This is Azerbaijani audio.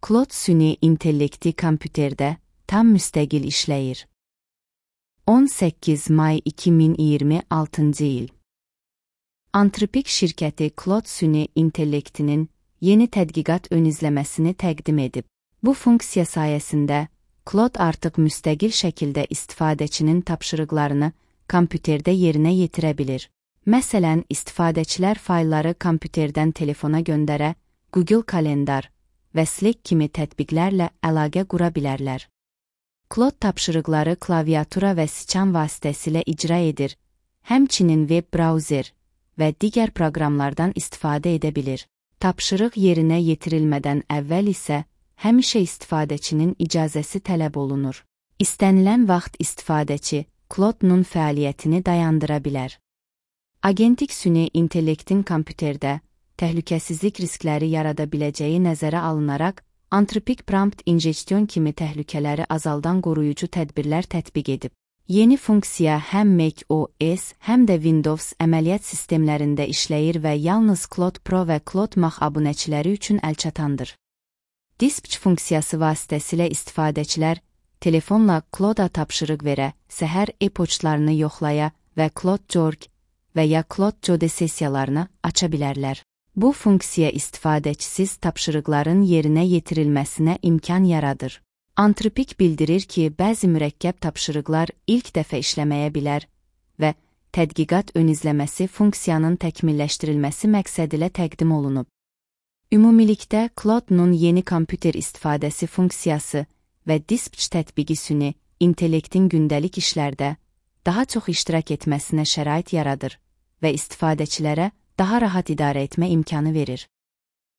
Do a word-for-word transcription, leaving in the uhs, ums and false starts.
Claude süni intellekti kompüterdə tam müstəqil işləyir. on səkkiz may iki min iyirmi altıncı il. Anthropic şirkəti Claude süni intellektinin yeni tədqiqat ön izləməsini təqdim edib. Bu funksiya sayəsində Claude artıq müstəqil şəkildə istifadəçinin tapşırıqlarını kompüterdə yerinə yetirə bilir. Məsələn, istifadəçilər faylları kompüterdən telefona göndərə, Google Kalendar və Slack kimi tətbiqlərlə əlaqə qura bilərlər. Claude tapşırıqları klaviatura və siçan vasitəsilə icra edir, həmçinin web brauzer və digər proqramlardan istifadə edə bilir. Tapşırıq yerinə yetirilmədən əvvəl isə həmişə istifadəçinin icazəsi tələb olunur. İstənilən vaxt istifadəçi Claude-nun fəaliyyətini dayandıra bilər. Agentik süni intellektin kompüterdə təhlükəsizlik riskləri yarada biləcəyi nəzərə alınaraq, Anthropic Prompt Injection kimi təhlükələri azaldan qoruyucu tədbirlər tətbiq edib. Yeni funksiya həm Mac O S, həm də Windows əməliyyat sistemlərində işləyir və yalnız Claude Pro və Claude Max abunəçiləri üçün əlçatandır. Dispatch funksiyası vasitəsilə istifadəçilər telefonla Claude-a tapşırıq verə, səhər e-poçtlarını yoxlaya və Claude Jorg və ya Claude Jode sessiyalarını aça bilərlər. Bu funksiya istifadəçisiz tapşırıqların yerinə yetirilməsinə imkan yaradır. Anthropic bildirir ki, bəzi mürəkkəb tapşırıqlar ilk dəfə işləməyə bilər və tədqiqat ön izləməsi funksiyanın təkmilləşdirilməsi məqsədilə təqdim olunub. Ümumilikdə, Claude-nun yeni kompüter istifadəsi funksiyası və Dispatch tətbiqi süni intellektin gündəlik işlərdə daha çox iştirak etməsinə şərait yaradır və istifadəçilərə daha rahat idarə etmə imkanı verir.